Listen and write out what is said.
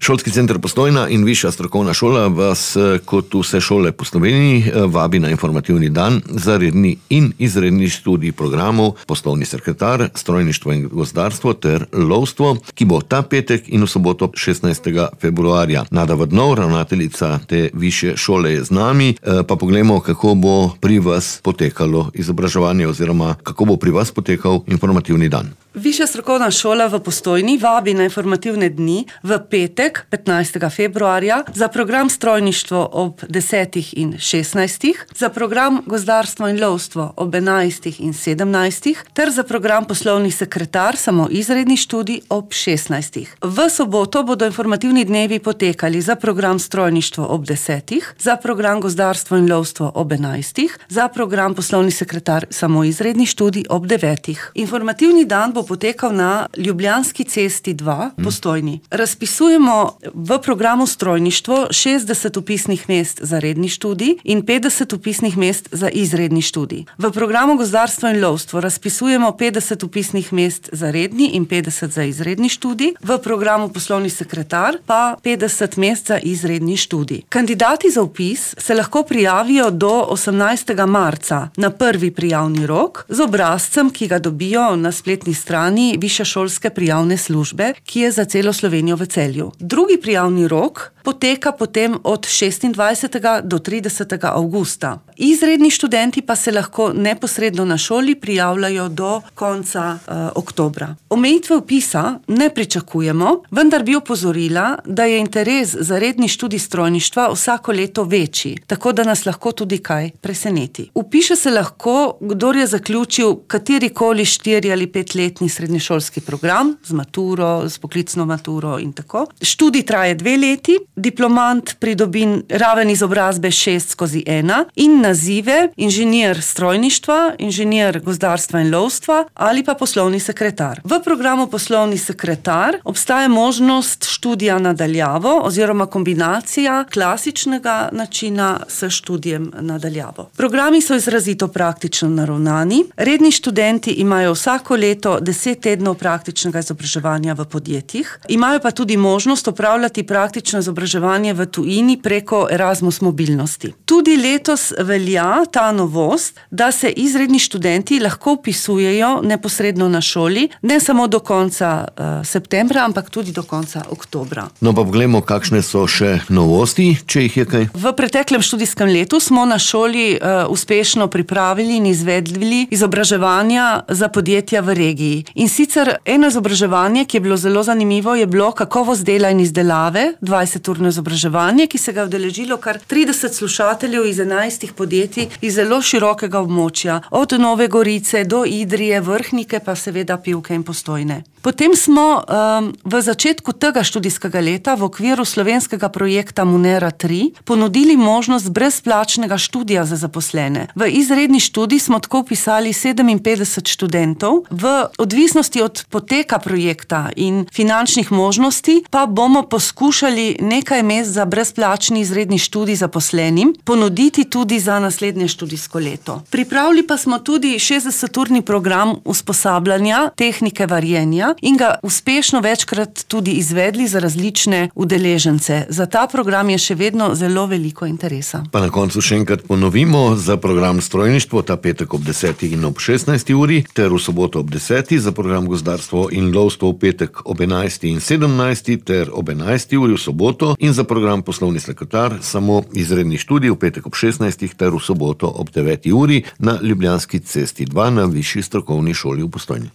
Šolski center Postojna in Višja strokovna šola vas, kot vse šole po Sloveniji, vabi na informativni dan za redni in izredni študij programov poslovni sekretar, strojništvo in gozdarstvo ter lovstvo, ki bo ta petek in v soboto 16. februarja. Nada Vodnov, ravnateljica te višje šole, je z nami, pa poglejmo, kako bo pri vas potekalo izobraževanje oziroma kako bo pri vas potekal informativni dan. Višja strokovna šola v Postojni vabi na informativne dni v petek 15. februarja za program strojništvo ob 10. in 16. za program gozdarstvo in lovstvo ob 11. in 17. ter za program poslovni sekretar samo izredni študij ob 16. V soboto bodo informativni dnevi potekali za program strojništvo ob 10. za program gozdarstvo in lovstvo ob 11. za program poslovni sekretar samo izredni študij ob 9. Informativni dan bo potekal na Ljubljanski cesti 2, Postojni. Razpisujemo v programu strojništvo 60 vpisnih mest za redni študij in 50 vpisnih mest za izredni študij. V programu gozdarstvo in lovstvo razpisujemo 50 vpisnih mest za redni in 50 za izredni študij, v programu poslovni sekretar pa 50 mest za izredni študij. Kandidati za vpis se lahko prijavijo do 18. marca na prvi prijavni rok z obrazcem, ki ga dobijo na spletni strani Višješolske prijavne službe, ki je za celo Slovenijo v Celju. Drugi prijavni rok poteka potem od 26. do 30. avgusta. Izredni študenti pa se lahko neposredno na šoli prijavljajo do konca oktobra. Omejitve vpisa ne pričakujemo, vendar bi opozorila, da je interes za redni študij strojništva vsako leto večji, tako da nas lahko tudi kaj preseneti. Vpiše se lahko, kdor je zaključil katerikoli 4 ali 5-letni srednješolski program z maturo, z poklicno maturo in tako. Študij traje 2 leti, diplomant pridobi raven izobrazbe 6/1 in nazive inženir strojništva, inženir gozdarstva in lovstva ali pa poslovni sekretar. V programu poslovni sekretar obstaja možnost študija nadaljavo oziroma kombinacija klasičnega načina s študijem nadaljavo. Programi so izrazito praktično naravnani. Redni študenti imajo vsako leto 10 tednov praktičnega izobraževanja v podjetjih, imajo pa tudi možnost opravljati praktično izobraževanje v tujini preko Erasmus mobilnosti. Tudi letos velja ta novost, da se izredni študenti lahko vpisujejo neposredno na šoli, ne samo do konca septembra, ampak tudi do konca oktobra. No pa poglejmo, kakšne so še novosti, če jih je kaj. V preteklem študijskem letu smo na šoli uspešno pripravili in izvedli izobraževanja za podjetja v regiji. In sicer eno izobraževanje, ki je bilo zelo zanimivo, je bilo kakovost dela in izdelave, 20-urno izobraževanje, ki se ga je udeležilo kar 30 slušateljev iz 11 podjetij iz zelo širokega območja, od Nove Gorice do Idrije, Vrhnike, pa seveda Pivke in Postojne. Potem smo v začetku tega študijskega leta v okviru slovenskega projekta Munera 3 ponudili možnost brezplačnega študija za zaposlene. V izredni študij smo tako vpisali 57 študentov. V odvisnosti od poteka projekta in finančnih možnosti pa bomo poskušali nekaj mest za brezplačni izredni študij zaposlenim ponuditi tudi za naslednje študijsko leto. Pripravili pa smo tudi 60-urni program usposabljanja tehnike varjenja in ga uspešno večkrat tudi izvedli za različne udeležence. Za ta program je še vedno zelo veliko interesa. Pa na koncu še enkrat ponovimo, za program strojništvo ta petek ob 10. in ob 16. uri ter v soboto ob 10. za program gozdarstvo in lovstvo v petek ob 11. in 17. ter ob 11. uri v soboto in za program poslovni sekretar samo izredni študij v petek ob 16. ter v soboto ob 9. uri na Ljubljanski cesti 2 na Višji strokovni šoli v Postojni.